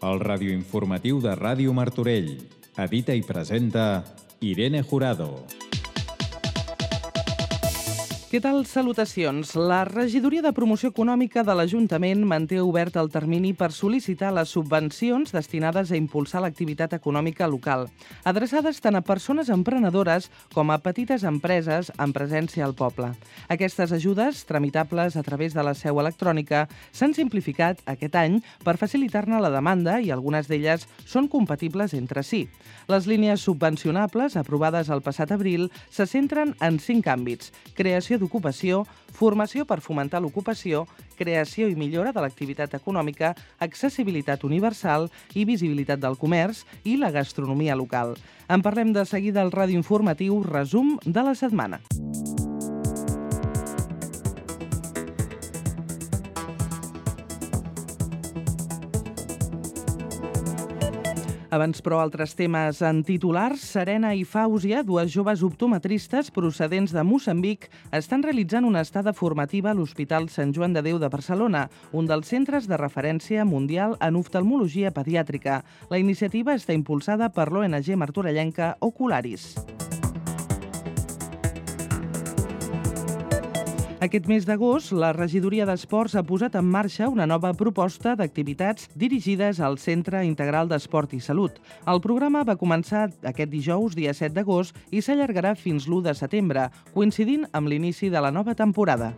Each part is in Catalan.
el radioinformatiu de Ràdio Martorell. Edita i presenta Irene Jurado. Què tal? Salutacions. La Regidoria de Promoció Econòmica de l'Ajuntament manté obert el termini per sol·licitar les subvencions destinades a impulsar l'activitat econòmica local, adreçades tant a persones emprenedores com a petites empreses amb presència al poble. Aquestes ajudes, tramitables a través de la seu electrònica, s'han simplificat aquest any per facilitar-ne la demanda i algunes d'elles són compatibles entre si. Les línies subvencionables, aprovades el passat abril, se centren en 5 àmbits: creació d'ocupació, formació per fomentar l'ocupació, creació i millora de l'activitat econòmica, accessibilitat universal i visibilitat del comerç i la gastronomia local. En parlem de seguida al radioinformatiu Resum de la setmana. Abans, però, altres temes en titulars. Serena i Fàusia, dues joves optometristes procedents de Moçambic, estan realitzant una estada formativa a l'Hospital Sant Joan de Déu de Barcelona, un dels centres de referència mundial en oftalmologia pediàtrica. La iniciativa està impulsada per l'ONG martorellenca Ocularis. Aquest mes d'agost, la Regidoria d'Esports ha posat en marxa una nova proposta d'activitats dirigides al Centre Integral d'Esport i Salut. El programa va començar aquest dijous, dia 7 d'agost, i s'allargarà fins l'1 de setembre, coincidint amb l'inici de la nova temporada.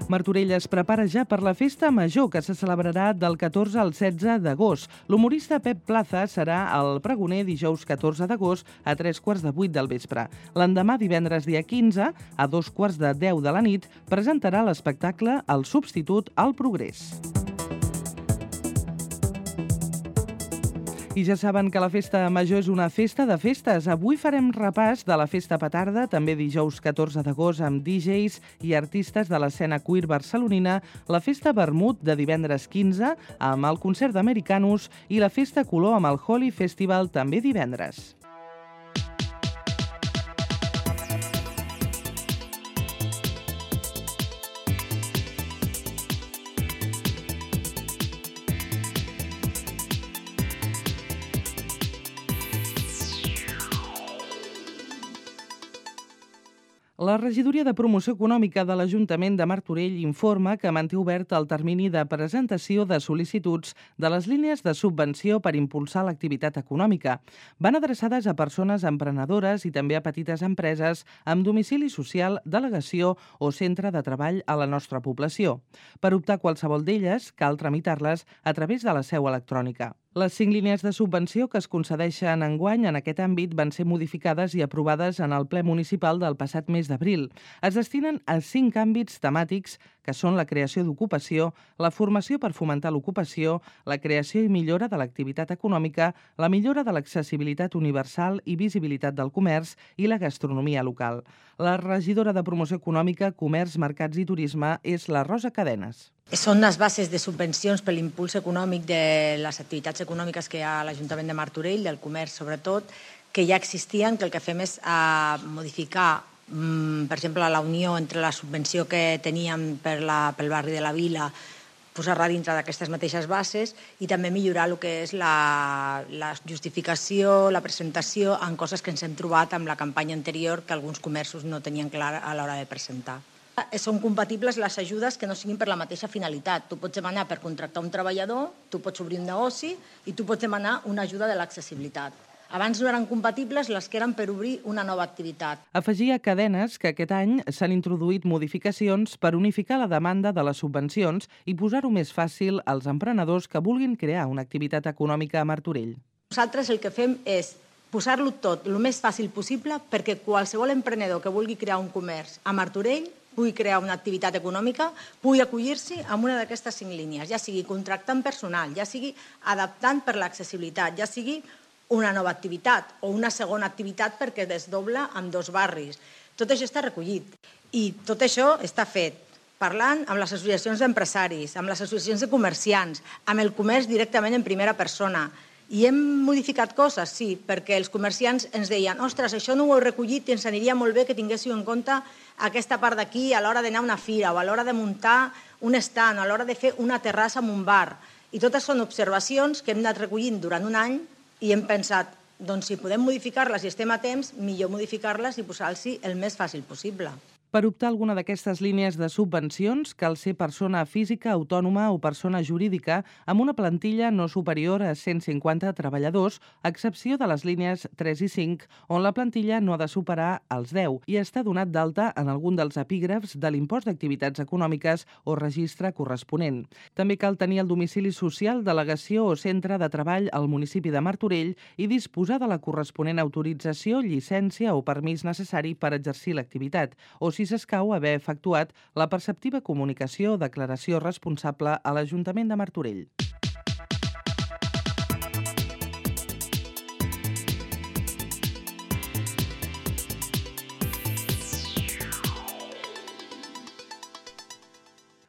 Martorell es prepara ja per la festa major, que se celebrarà del 14 al 16 d'agost. L'humorista Pep Plaza serà el pregoner dijous 14 d'agost a 7:45 del vespre. L'endemà, divendres dia 15, a 2:10 de la nit, presentarà l'espectacle El substitut al progrés. I ja saben que la festa major és una festa de festes. Avui farem repàs de la festa petarda, també dijous 14 d'agost, amb DJs i artistes de l'escena queer barcelonina, la festa vermut de divendres 15, amb el concert d'Americanus, i la festa color amb el Holi Festival també divendres. La Regidoria de Promoció Econòmica de l'Ajuntament de Martorell informa que manté obert el termini de presentació de sol·licituds de les línies de subvenció per impulsar l'activitat econòmica. Van adreçades a persones emprenedores i també a petites empreses amb domicili social, delegació o centre de treball a la nostra població. Per optar a qualsevol d'elles, cal tramitar-les a través de la seu electrònica. Les 5 línies de subvenció que es concedeixen enguany en aquest àmbit van ser modificades i aprovades en el ple municipal del passat mes d'abril. Es destinen a 5 àmbits temàtics que són la creació d'ocupació, la formació per fomentar l'ocupació, la creació i millora de l'activitat econòmica, la millora de l'accessibilitat universal i visibilitat del comerç i la gastronomia local. La regidora de Promoció Econòmica, Comerç, Mercats i Turisme és la Rosa Cadenes. Són les bases de subvencions per l'impuls econòmic de les activitats econòmiques que hi ha a l'Ajuntament de Martorell, del comerç sobretot, que ja existien, que el que fem és modificar, per exemple, la unió entre la subvenció que teníem pel barri de la Vila, posar-la dintre d'aquestes mateixes bases i també millorar el que és la justificació, la presentació en coses que ens hem trobat amb la campanya anterior que alguns comerços no tenien clar a l'hora de presentar. Són compatibles les ajudes que no siguin per la mateixa finalitat. Tu pots demanar per contractar un treballador, tu pots obrir un negoci i tu pots demanar una ajuda de l'accessibilitat. Abans no eren compatibles les que eren per obrir una nova activitat. Afegia Cadenes que aquest any s'han introduït modificacions per unificar la demanda de les subvencions i posar-ho més fàcil als emprenedors que vulguin crear una activitat econòmica a Martorell. Nosaltres el que fem és posar-lo tot el més fàcil possible perquè qualsevol emprenedor que vulgui crear un comerç a Martorell pugui crear una activitat econòmica, pugui acollir-s'hi a una d'aquestes 5 línies, ja sigui contractant personal, ja sigui adaptant per l'accessibilitat, ja sigui una nova activitat o una segona activitat perquè desdobla amb 2 barris. Tot això està recollit i tot això està fet parlant amb les associacions d'empresaris, amb les associacions de comerciants, amb el comerç directament en primera persona. I hem modificat coses, sí, perquè els comerciants ens deien ostres, això no ho heu recollit i ens aniria molt bé que tinguéssiu en compte aquesta part d'aquí a l'hora d'anar a una fira o a l'hora de muntar un stand, a l'hora de fer una terrassa en un bar. I totes són observacions que hem anat recollint durant un any i hem pensat, doncs si podem modificar-les i estem a temps, millor modificar-les i posar-los el més fàcil possible. Per optar a alguna d'aquestes línies de subvencions, cal ser persona física, autònoma o persona jurídica amb una plantilla no superior a 150 treballadors, a excepció de les línies 3 i 5, on la plantilla no ha de superar els 10 i està donat d'alta en algun dels epígrafs de l'impost d'activitats econòmiques o registre corresponent. També cal tenir el domicili social, delegació o centre de treball al municipi de Martorell i disposar de la corresponent autorització, llicència o permís necessari per exercir l'activitat, o si s'escau haver efectuat la perceptiva comunicació o declaració responsable a l'Ajuntament de Martorell.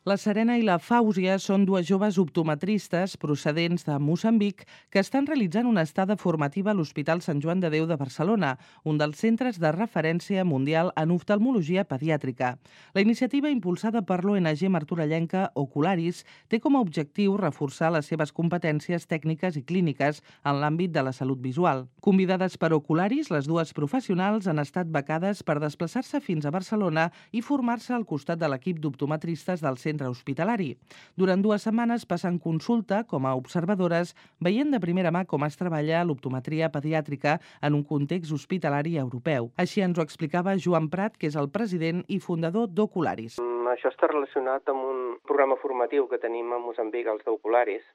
La Serena i la Fàusia són dues joves optometristes procedents de Moçambic que estan realitzant una estada formativa a l'Hospital Sant Joan de Déu de Barcelona, un dels centres de referència mundial en oftalmologia pediàtrica. La iniciativa, impulsada per l'ONG martorellenca Ocularis, té com a objectiu reforçar les seves competències tècniques i clíniques en l'àmbit de la salut visual. Convidades per Ocularis, les dues professionals han estat becades per desplaçar-se fins a Barcelona i formar-se al costat de l'equip d'optometristes del centre hospitalari. Durant 2 setmanes passen consulta com a observadores, veient de primera mà com es treballa l'optometria pediàtrica en un context hospitalari europeu. Així ens ho explicava Joan Prat, que és el president i fundador d'Ocularis. Això està relacionat amb un programa formatiu que tenim a Moçambic, els d'Ocularis,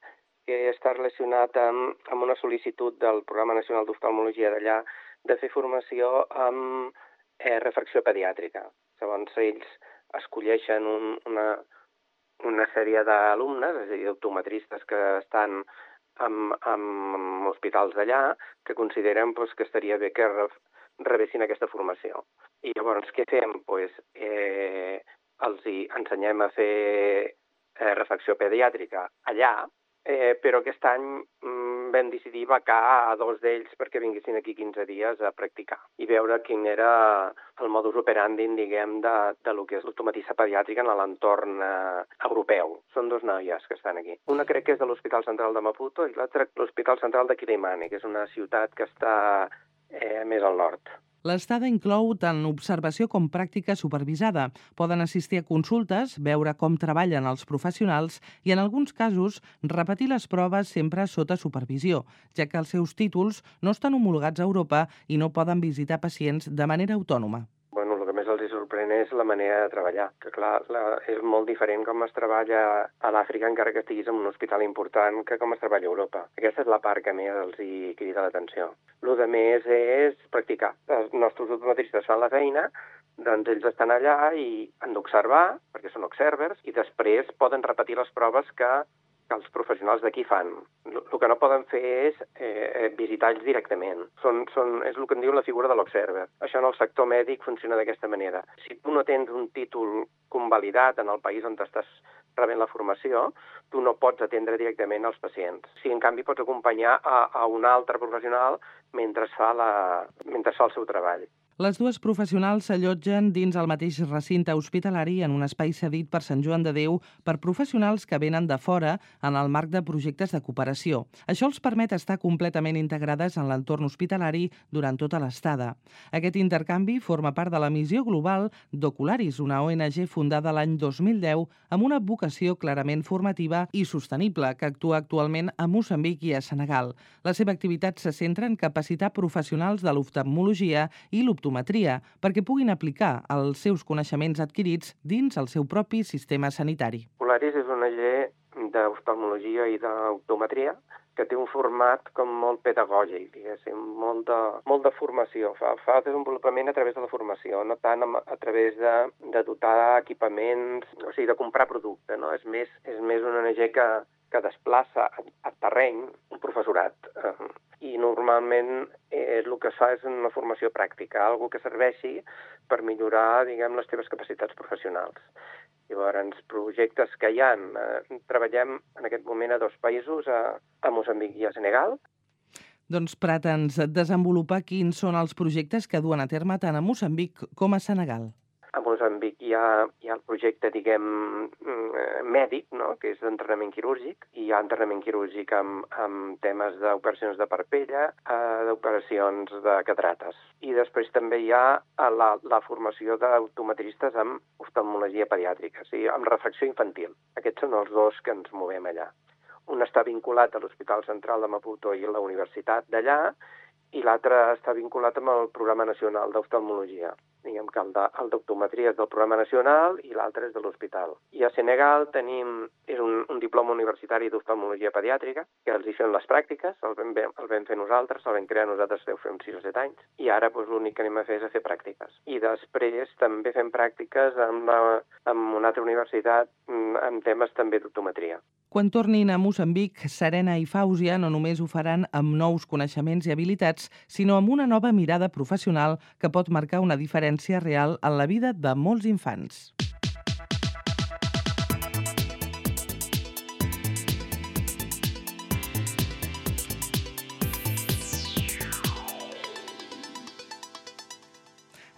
que està relacionat amb una sol·licitud del Programa Nacional d'Oftalmologia d'allà de fer formació amb refracció pediàtrica. Llavors, ells escolleixen una sèrie d'alumnes, és a dir, optometristes que estan en hospitals d'allà, que consideren que estaria bé que rebessin aquesta formació. I llavors què fem? Els ensenyem a fer refracció pediàtrica allà, però aquest any vam decidir becar a 2 d'ells perquè vinguessin aquí 15 dies a practicar i veure quin era el modus operandi, diguem, de lo que és l'optometrista pediàtrica en l'entorn europeu. Són 2 noies que estan aquí. Una crec que és de l'Hospital Central de Maputo i l'altra l'Hospital Central de Quilimane, que és una ciutat que està més al nord. L'estada inclou tant observació com pràctica supervisada. Poden assistir a consultes, veure com treballen els professionals i, en alguns casos, repetir les proves sempre sota supervisió, ja que els seus títols no estan homologats a Europa i no poden visitar pacients de manera autònoma. Bueno, el que més els sorprèn és la manera de treballar, que clar, és molt diferent com es treballa a l'Àfrica, encara que estiguis en un hospital important, que com es treballa a Europa. Aquesta és la part que més els hi crida l'atenció. El que més és practicar. Els nostres optometristes fan la feina, doncs ells estan allà i han d'observar, perquè són observers, i després poden repetir les proves que els professionals d'aquí fan. El que no poden fer és visitar ells directament. És el que en diu la figura de l'observer. Això en el sector mèdic funciona d'aquesta manera. Si tu no tens un títol convalidat en el país on estàs rebent la formació, tu no pots atendre directament els pacients. Si en canvi pots acompanyar a un altre professional mentre fa el seu treball. Les dues professionals s'allotgen dins el mateix recinte hospitalari en un espai cedit per Sant Joan de Déu per professionals que venen de fora en el marc de projectes de cooperació. Això els permet estar completament integrades en l'entorn hospitalari durant tota l'estada. Aquest intercanvi forma part de la missió global d'Ocularis, una ONG fundada l'any 2010 amb una vocació clarament formativa i sostenible que actua actualment a Moçambic i a Senegal. La seva activitat se centra en capacitar professionals de l'oftalmologia i l'optometria perquè puguin aplicar els seus coneixements adquirits dins el seu propi sistema sanitari. Ocularis és una ONG d'oftalmologia i d'optometria que té un format com molt pedagògic, diguéssim, molt de formació. Fa desenvolupament a través de la formació, no tant a través de dotar equipaments, o sigui, de comprar producte, no? És més una ONG que desplaça a terreny un professorat. I normalment el que es fa és una formació pràctica, algo que serveixi per millorar, diguem, les teves capacitats professionals. Llavors, projectes que hi ha, treballem en aquest moment a 2 països, a Moçambic i a Senegal, Doncs pretens desenvolupar quins són els projectes que duen a terme tant a Moçambic com a Senegal. A Moçambic hi ha el projecte, mèdic, no?, que és d'entrenament quirúrgic. Hi ha entrenament quirúrgic amb temes d'operacions de parpella, d'operacions de catarates. I després també hi ha la formació d'optometristes amb oftalmologia pediàtrica, o sigui, amb refracció infantil. Aquests són els dos que ens movem allà. Un està vinculat a l'Hospital Central de Maputo i a la Universitat d'allà, i l'altre està vinculat amb el Programa Nacional d'Oftalmologia. Diguem que el d'optometria és del Programa Nacional i l'altre és de l'hospital. I a Senegal és un diploma universitari d'oftalmologia pediàtrica, que els hi fem les pràctiques, el vam fer nosaltres, el vam crear nosaltres deu fer uns 6 o 7 anys, i ara l'únic que anem a fer és a fer pràctiques. I després també fem pràctiques amb una altra universitat amb temes també d'optometria. Quan tornin a Moçambic, Serena i Fàusia no només ho faran amb nous coneixements i habilitats, sinó amb una nova mirada professional que pot marcar una diferència real en la vida de molts infants.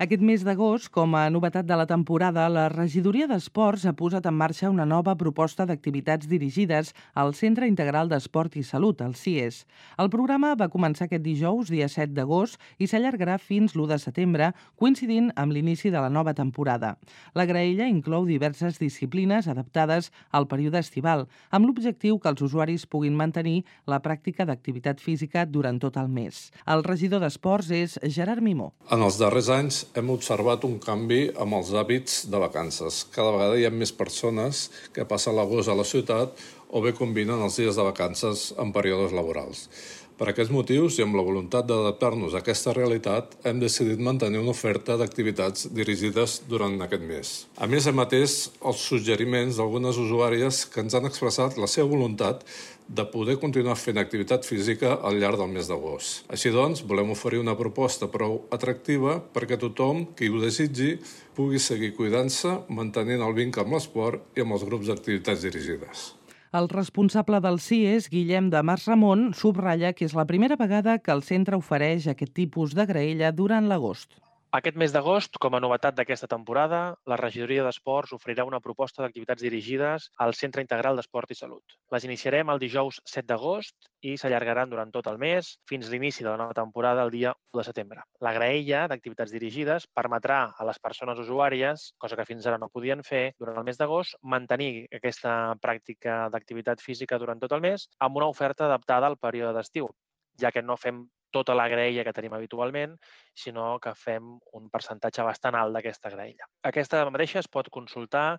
Aquest mes d'agost, com a novetat de la temporada, la Regidoria d'Esports ha posat en marxa una nova proposta d'activitats dirigides al Centre Integral d'Esport i Salut, el CIES. El programa va començar aquest dijous, dia 7 d'agost, i s'allargarà fins l'1 de setembre, coincidint amb l'inici de la nova temporada. La graella inclou diverses disciplines adaptades al període estival, amb l'objectiu que els usuaris puguin mantenir la pràctica d'activitat física durant tot el mes. El regidor d'Esports és Gerard Mimó. En els darrers anys hem observat un canvi amb els hàbits de vacances. Cada vegada hi ha més persones que passen l'agost a la ciutat o bé combinen els dies de vacances en períodes laborals. Per aquests motius i amb la voluntat d'adaptar-nos a aquesta realitat, hem decidit mantenir una oferta d'activitats dirigides durant aquest mes. A més, hem atès els suggeriments d'algunes usuàries que ens han expressat la seva voluntat de poder continuar fent activitat física al llarg del mes d'agost. Així doncs, volem oferir una proposta prou atractiva perquè tothom qui ho desitgi pugui seguir cuidant-se, mantenint el vincle amb l'esport i amb els grups d'activitats dirigides. El responsable del CIES, Guillem de Mas Ramon, subratlla que és la primera vegada que el centre ofereix aquest tipus de graella durant l'agost. Aquest mes d'agost, com a novetat d'aquesta temporada, la Regidoria d'Esports oferirà una proposta d'activitats dirigides al Centre Integral d'Esport i Salut. Les iniciarem el dijous 7 d'agost i s'allargaran durant tot el mes fins l'inici de la nova temporada el dia 1 de setembre. La graella d'activitats dirigides permetrà a les persones usuàries, cosa que fins ara no podien fer durant el mes d'agost, mantenir aquesta pràctica d'activitat física durant tot el mes amb una oferta adaptada al període d'estiu, ja que no fem tota la graella que tenim habitualment, sinó que fem un percentatge bastant alt d'aquesta graella. Aquesta mateixa es pot consultar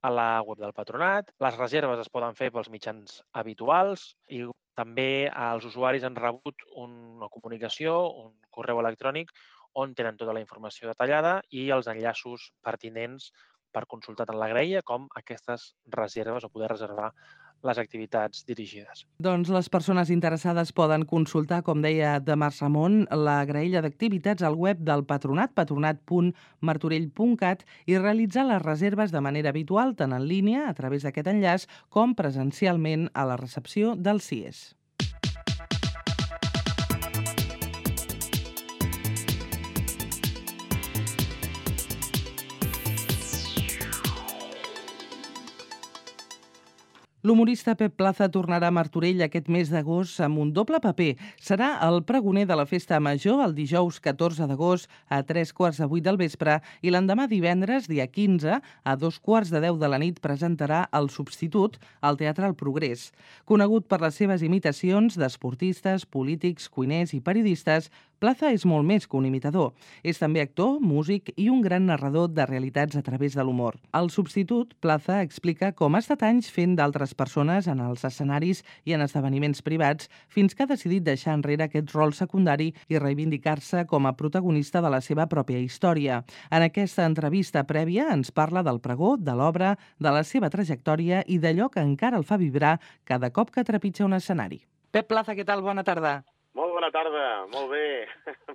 a la web del Patronat, les reserves es poden fer pels mitjans habituals i també els usuaris han rebut una comunicació, un correu electrònic, on tenen tota la informació detallada i els enllaços pertinents per consultar tant la graella com aquestes reserves o poder reservar les activitats dirigides. Doncs les persones interessades poden consultar, com deia de Mas Ramon, la graella d'activitats al web del Patronat, patronat.martorell.cat, i realitzar les reserves de manera habitual, tant en línia, a través d'aquest enllaç, com presencialment a la recepció del CIES. L'humorista Pep Plaza tornarà a Martorell aquest mes d'agost amb un doble paper. Serà el pregoner de la Festa Major el dijous 14 d'agost a 3:15 del vespre i l'endemà divendres, dia 15, a 2:15 de la nit presentarà El Substitut al Teatre El Progrés. Conegut per les seves imitacions d'esportistes, polítics, cuiners i periodistes, Plaza és molt més que un imitador. És també actor, músic i un gran narrador de realitats a través de l'humor. El Substitut, Plaza explica com ha estat anys fent d'altres persones en els escenaris i en esdeveniments privats fins que ha decidit deixar enrere aquest rol secundari i reivindicar-se com a protagonista de la seva pròpia història. En aquesta entrevista prèvia ens parla del pregó, de l'obra, de la seva trajectòria i d'allò que encara el fa vibrar cada cop que trepitja un escenari. Pep Plaza, què tal? Bona tarda. Molt bona tarda, molt bé,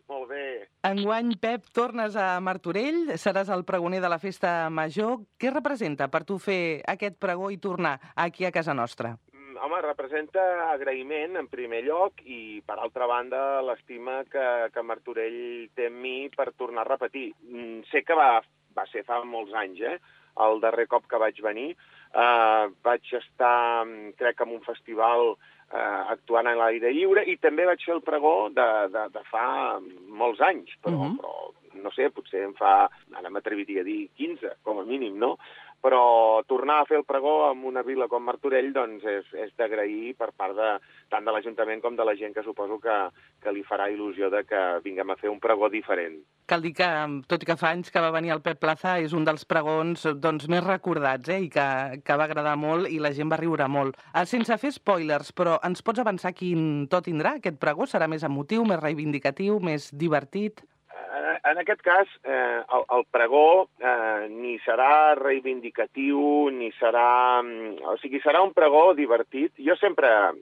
molt bé. Enguany, Pep, tornes a Martorell, seràs el pregoner de la Festa Major. Què representa per tu fer aquest pregó i tornar aquí a casa nostra? Home, representa agraïment, en primer lloc, i, per altra banda, l'estima que Martorell té en mi per tornar a repetir. Sé que va ser fa molts anys, el darrer cop que vaig venir. Vaig estar, crec, en un festival actuant a l'aire lliure, i també vaig fer el pregó de fa molts anys, però no sé, potser ara m'atreviria a dir 15, com a mínim, no? Però tornar a fer el pregó en una vila com Martorell doncs és d'agrair per part tant de l'Ajuntament com de la gent que suposo que li farà il·lusió de que vinguem a fer un pregó diferent. Cal dir que, tot i que fa anys que va venir el Pep Plaza, és un dels pregons més recordats i que va agradar molt i la gent va riure molt. Sense fer spoilers, però ens pots avançar quin to tindrà aquest pregó? Serà més emotiu, més reivindicatiu, més divertit? En aquest cas, el pregó ni serà reivindicatiu, ni serà... O sigui, serà un pregó divertit. Jo sempre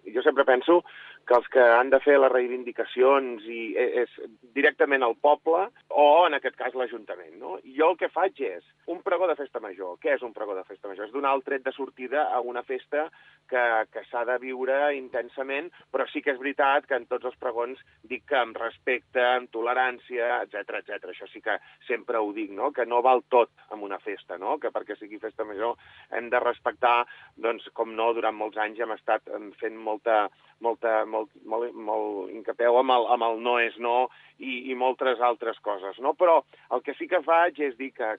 penso que els que han de fer les reivindicacions és directament el poble o, en aquest cas, l'Ajuntament, no? Jo el que faig és un pregó de festa major. Què és un pregó de festa major? És donar el tret de sortida a una festa que s'ha de viure intensament, però sí que és veritat que en tots els pregons dic que amb respecte, amb tolerància, etc. Això sí que sempre ho dic, no? Que no val tot en una festa, no? Que perquè sigui festa major hem de respectar, doncs, com no, durant molts anys hem estat fent molt incapeu amb el no és no i moltes altres coses, no? Però el que sí que faig és dir que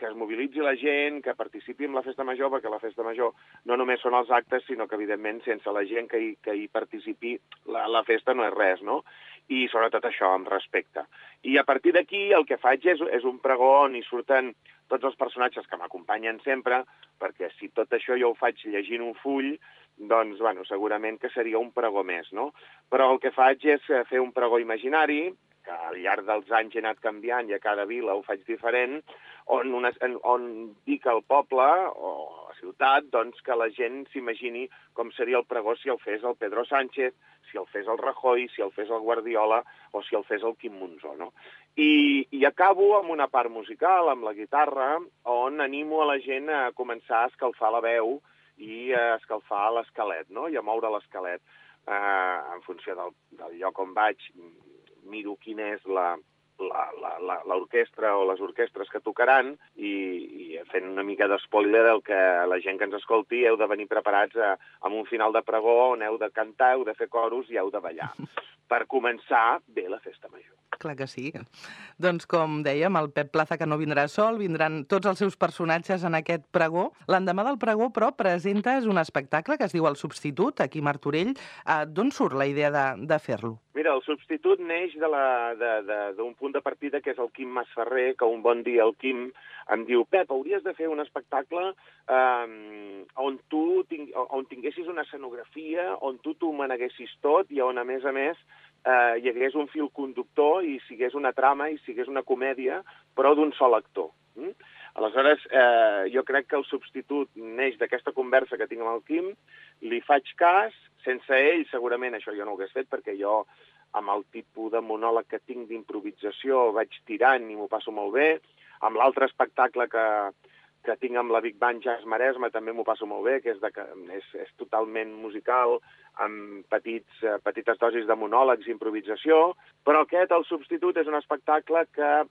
es mobilitzi la gent, que participi en la festa major, perquè la festa major no només són els actes, sinó que, evidentment, sense la gent que hi participi, la festa no és res, no? I sobretot això, amb respecte. I a partir d'aquí el que faig és un pregó on hi surten tots els personatges que m'acompanyen sempre, perquè si tot això jo ho faig llegint un full, doncs, bueno, segurament que seria un pregó més, no? Però el que faig és fer un pregó imaginari, que al llarg dels anys he anat canviant i a cada vila ho faig diferent, on dic al poble o a la ciutat doncs, que la gent s'imagini com seria el pregó si el fes el Pedro Sánchez, si el fes el Rajoy, si el fes el Guardiola o si el fes el Quim Monzó, no? I acabo amb una part musical, amb la guitarra, on animo a la gent a començar a escalfar la veu i a escalfar l'esquelet, no? I a moure l'esquelet. En funció del lloc on vaig, miro quina és l'orquestra o les orquestres que tocaran i fent una mica d'espoiler del que la gent que ens escolti heu de venir preparats amb un final de pregó on heu de cantar, heu de fer coros i heu de ballar per començar bé la festa major. Clar que sí. Doncs, com dèiem, el Pep Plaza, que no vindrà sol, vindran tots els seus personatges en aquest pregó. L'endemà del pregó, però, presentes un espectacle que es diu El Substitut, aquí a Martorell. D'on surt la idea de fer-lo? Mira, El Substitut neix d'un punt de partida que és el Quim Masferrer, que un bon dia el Quim em diu: Pep, hauries de fer un espectacle on tinguessis una escenografia, on tu t'ho maneguessis tot i on, a més, hi hagués un fil conductor i sigués una trama i sigués una comèdia, però d'un sol actor. Aleshores, jo crec que El Substitut neix d'aquesta conversa que tinc amb el Quim, li faig cas, sense ell segurament això jo no ho hagués fet, perquè jo amb el tipus de monòleg que tinc d'improvisació vaig tirant i m'ho passo molt bé. Amb l'altre espectacle que tinc amb la Big Band Jazz Maresme també m'ho passo molt bé, que és totalment musical, amb petites dosis de monòlegs i improvisació, però aquest, El Substitut, és un espectacle que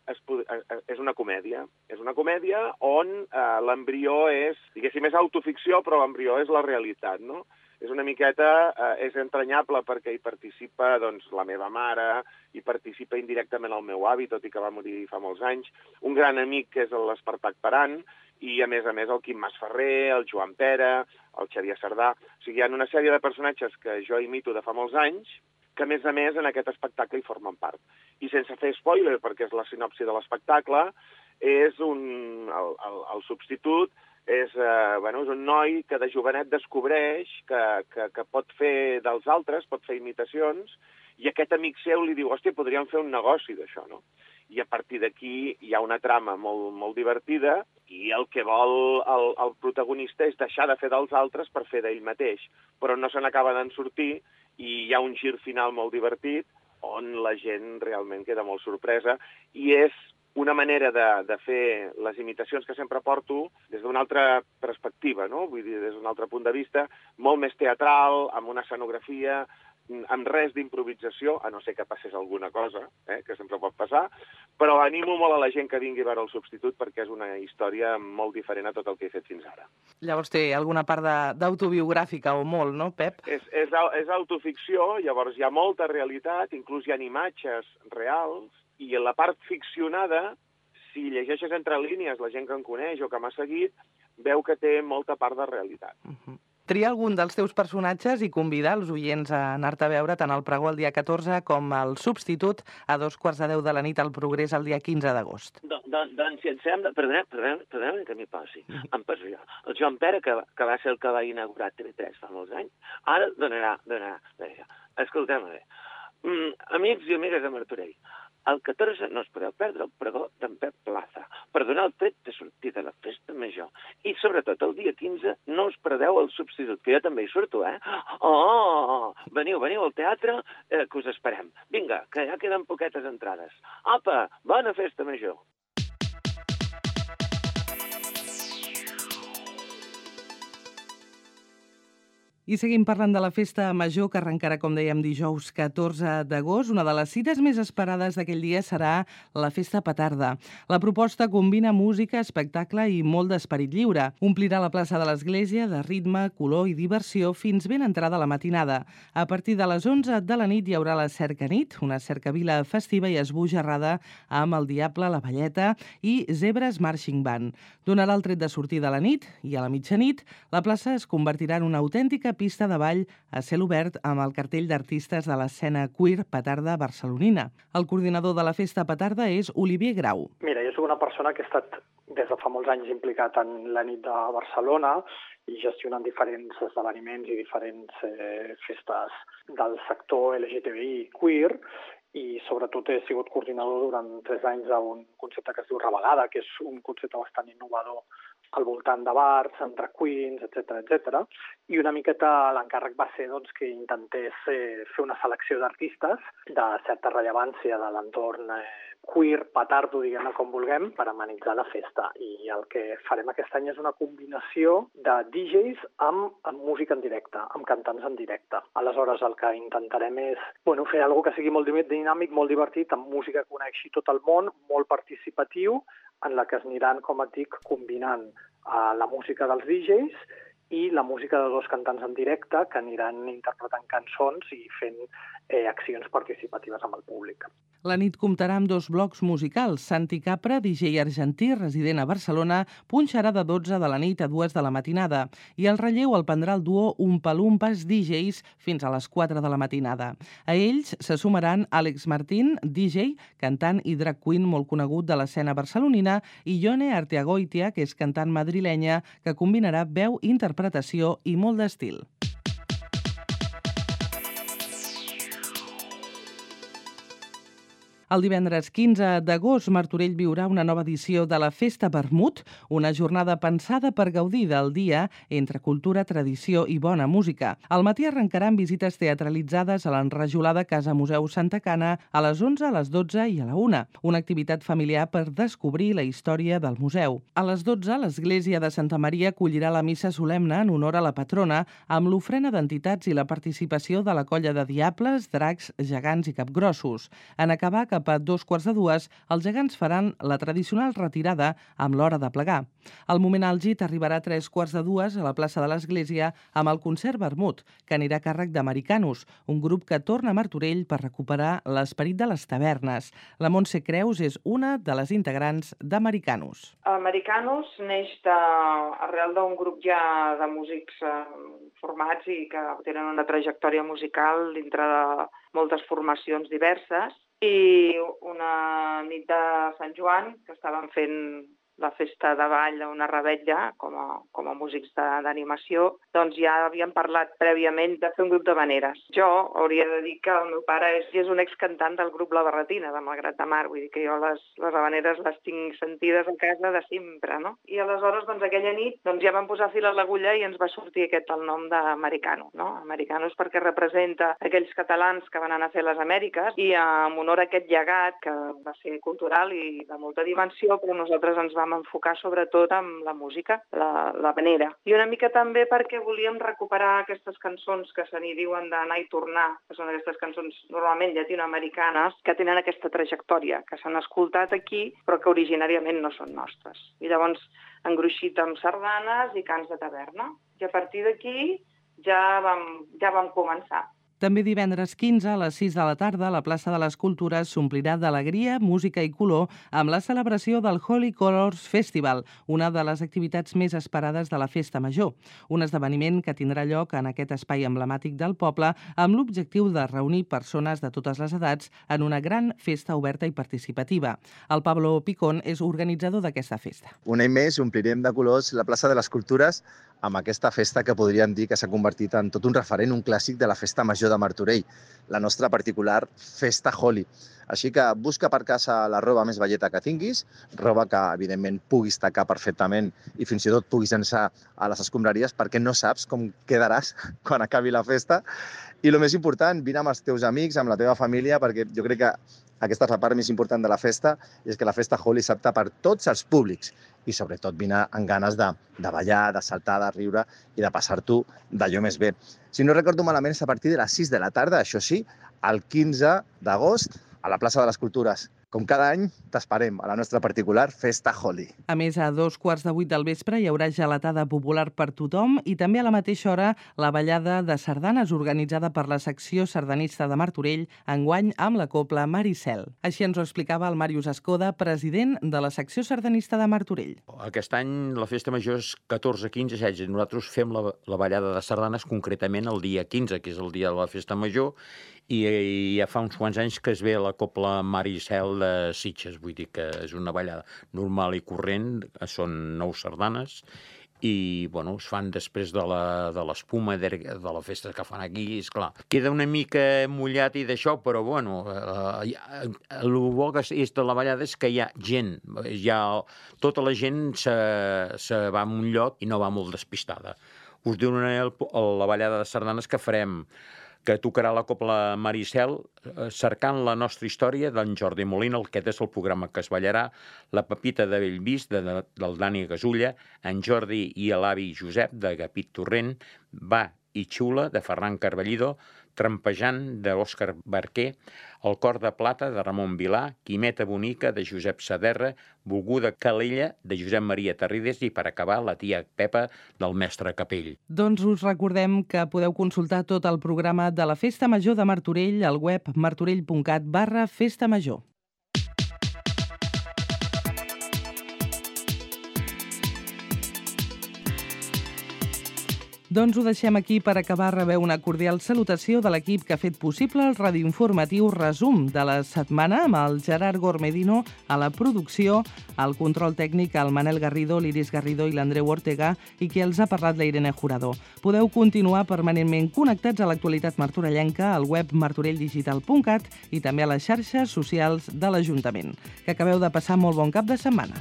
és una comèdia. És una comèdia on l'embrió és, diguéssim, és autoficció, però l'embrió és la realitat, no? És una miqueta, és entranyable perquè hi participa doncs, la meva mare, hi participa indirectament el meu avi, tot i que va morir fa molts anys, un gran amic que és l'Espartac Paran, i a més el Quim Masferrer, el Joan Pera, el Xavier Sardà. O sigui, hi ha una sèrie de personatges que jo imito de fa molts anys, que a més en aquest espectacle hi formen part. I sense fer spoiler, perquè és la sinopsi de l'espectacle, és el Substitut és un noi que de jovenet descobreix que pot fer dels altres, pot fer imitacions, i aquest amic seu li diu: hòstia, podríem fer un negoci d'això, no? I a partir d'aquí hi ha una trama molt divertida i el que vol el protagonista és deixar de fer dels altres per fer d'ell mateix, però no se n'acaba d'en sortir i hi ha un gir final molt divertit on la gent realment queda molt sorpresa i és una manera de fer les imitacions que sempre porto des d'una altra perspectiva, no? Vull dir, des d'un altre punt de vista, molt més teatral, amb una escenografia, amb res d'improvisació, a no ser que passés alguna cosa, que sempre pot passar, però animo molt a la gent que vingui a veure El Substitut perquè és una història molt diferent a tot el que he fet fins ara. Llavors té alguna part d'autobiogràfica o molt, no, Pep? És autoficció, llavors hi ha molta realitat, inclús hi ha imatges reals, i en la part ficcionada, si llegeixes entre línies la gent que em coneix o que m'ha seguit, veu que té molta part de realitat. Tria algun dels teus personatges i convidar els oients a anar-te a veure tant al Pregó el dia 14 com al Substitut a 2:45 de la nit al Progrés el dia 15 d'agost. Doncs, si et sembla... Perdona que m'hi passi. Em passo jo. El Joan Pere, que va ser el que va inaugurar TV3 fa molts anys, ara donarà. Escolteu-me bé. Amics i amigues de Martorell, el 14 no us podeu perdre el pregó d'en Pep Plaza per donar el tret de sortida a la festa major. I sobretot el dia 15 no us perdeu el Substitut, que jo també hi surto, Oh! Veniu al teatre, que us esperem. Vinga, que ja queden poquetes entrades. Apa, bona festa major! I seguim parlant de la festa major que arrencarà, com dèiem, dijous 14 d'agost. Una de les cites més esperades d'aquell dia serà la festa petarda. La proposta combina música, espectacle i molt d'esperit lliure. Omplirà la plaça de l'Església de ritme, color i diversió fins ben entrada la matinada. A partir de les 11 de la nit hi haurà la cercanit, una cercavila festiva i esbojarrada amb el Diable, la Valleta i Zebres Marching Band. Donarà el tret de sortir de la nit i a la mitjanit la plaça es convertirà en una autèntica pista de ball a cel obert amb el cartell d'artistes de l'escena queer petarda barcelonina. El coordinador de la festa petarda és Olivier Grau. Mira, jo soc una persona que he estat des de fa molts anys implicat en la nit de Barcelona i gestionant diferents esdeveniments i diferents festes del sector LGTBI queer, i sobretot he sigut coordinador durant 3 anys d'un concepte que es diu Ravegada, que és un concepte bastant innovador al voltant de bars, amb drag queens, etc. I una miqueta l'encàrrec va ser que intentés fer una selecció d'artistes de certa rellevància de l'entorn queer, petardo, diguem-ne com vulguem, per amenitzar la festa. I el que farem aquest any és una combinació de DJs amb música en directe, amb cantants en directe. Aleshores, el que intentarem és fer alguna que sigui molt dinàmic, molt divertit, amb música que coneixi tot el món, molt participatiu, en la que es aniran, com et dic, combinant la música dels DJs i la música de 2 cantants en directe que aniran interpretant cançons i fent accions participatives amb el públic. La nit comptarà amb 2 blocs musicals. Santi Capra, DJ argentí resident a Barcelona, punxarà de 12 de la nit a 2 de la matinada i el relleu el prendrà el duo Umpalumpas DJs fins a les 4 de la matinada. A ells se sumaran Àlex Martín, DJ, cantant i drag queen molt conegut de l'escena barcelonina, i Ione Arteagoitia, que és cantant madrilenya, que combinarà veu, interpretació i molt d'estil. El divendres 15 d'agost, Martorell viurà una nova edició de la Festa Vermut, una jornada pensada per gaudir del dia entre cultura, tradició i bona música. Al matí arrencarà amb visites teatralitzades a l'enrajolada Casa Museu Santa Cana a les 11, a les 12 i a la 1, una activitat familiar per descobrir la història del museu. A les 12, l'església de Santa Maria acollirà la missa solemne en honor a la patrona amb l'ofrena d'entitats i la participació de la colla de diables, dracs, gegants i capgrossos. En acabar, cap a 2:45, els gegants faran la tradicional retirada amb l'hora de plegar. El moment àlgid arribarà a 3:45 a la plaça de l'Església amb el concert Vermut, que anirà a càrrec d'Americanus, un grup que torna a Martorell per recuperar l'esperit de les tavernes. La Montse Creus és una de les integrants d'Americanus. Americanus neix arrel d'un grup ja de músics formats i que tenen una trajectòria musical dintre de moltes formacions diverses, i una nit de Sant Joan que estàvem fent la festa de ball d'una rebetlla com a músics d'animació, doncs ja havíem parlat prèviament de fer un grup d'havaneres. Jo hauria de dir que el meu pare és un excantant del grup La Barretina, de Malgrat de Mar, vull dir que jo les havaneres les tinc sentides a casa de sempre, no? I aleshores, doncs, aquella nit ja vam posar fil a l'agulla i ens va sortir el nom d'Americano, no? Americano és perquè representa aquells catalans que van anar a fer les Amèriques i en honor a aquest llegat, que va ser cultural i de molta dimensió, però nosaltres ens vam enfocar sobretot amb la música, l'havanera. I una mica també perquè volíem recuperar aquestes cançons que se n'hi diuen d'anar i tornar, que són aquestes cançons normalment llatinoamericanes, que tenen aquesta trajectòria, que s'han escoltat aquí, però que originàriament no són nostres. I llavors engruixit amb sardanes i cants de taverna. I a partir d'aquí ja vam començar. També divendres 15 a les 6 de la tarda, la plaça de les Cultures s'omplirà d'alegria, música i color amb la celebració del Holy Colors Festival, una de les activitats més esperades de la Festa Major. Un esdeveniment que tindrà lloc en aquest espai emblemàtic del poble amb l'objectiu de reunir persones de totes les edats en una gran festa oberta i participativa. El Pablo Picón és organitzador d'aquesta festa. Un any més omplirem de colors la plaça de les Cultures amb aquesta festa que podríem dir que s'ha convertit en tot un referent, un clàssic de la Festa Major de Martorell, la nostra particular Festa Holy. Així que busca per casa la roba més velleta que tinguis, roba que, evidentment, puguis tacar perfectament i fins i tot puguis llançar a les escombraries perquè no saps com quedaràs quan acabi la festa. I el més important, vine amb els teus amics, amb la teva família, perquè jo crec que aquesta és la part més important de la festa, i és que la Festa Holy s'apta per tots els públics i sobretot vine amb ganes de ballar, de saltar, de riure i de passar-t'ho d'allò més bé. Si no recordo malament, és a partir de les 6 de la tarda, això sí, el 15 d'agost, a la plaça de les Cultures. Com cada any, t'esperem a la nostra particular Festa Holy. A més, a 2:15 del vespre hi haurà gelatada popular per tothom i també a la mateixa hora la ballada de sardanes organitzada per la secció sardanista de Martorell, enguany amb la cobla Maricel. Així ens ho explicava el Màrius Escoda, president de la secció sardanista de Martorell. Aquest any la festa major és 14, 15, 16. Nosaltres fem la ballada de sardanes concretament el dia 15, que és el dia de la festa major, i ja fa uns quants anys que es ve la cobla Maricel de Sitges, vull dir que és una ballada normal i corrent, són 9 sardanes, i es fan després de l'espuma de la festa que fan aquí, esclar. Queda una mica mullat i d'això, però el bo que és de la ballada és que hi ha gent, tota la gent se va a un lloc i no va molt despistada. Us donaré la ballada de sardanes que farem, que tocarà la cobla Maricel, cercant la nostra història d'en Jordi Molina, aquest és el programa que es ballarà, la Pepita de Bellvís, del Dani Gasulla, en Jordi i l'avi Josep, de Gapit Torrent, Va i Xula, de Ferran Carballido, Trampejant, d'Òscar Barquer, El cor de plata, de Ramon Vilà, Quimeta bonica, de Josep Saderra, Volguda Calella, de Josep Maria Terrides i, per acabar, la tia Pepa, del mestre Capell. Doncs us recordem que podeu consultar tot el programa de la Festa Major de Martorell al web martorell.cat/Festa Major. Doncs ho deixem aquí per acabar. Rebeu una cordial salutació de l'equip que ha fet possible el radioinformatiu Resum de la setmana, amb el Gerard Gormedino a la producció, al control tècnic, el Manel Garrido, l'Iris Garrido i l'Andreu Ortega, i qui els ha parlat, la Irene Jurado. Podeu continuar permanentment connectats a l'actualitat martorellenca al web martorelldigital.cat i també a les xarxes socials de l'Ajuntament. Que acabeu de passar molt bon cap de setmana.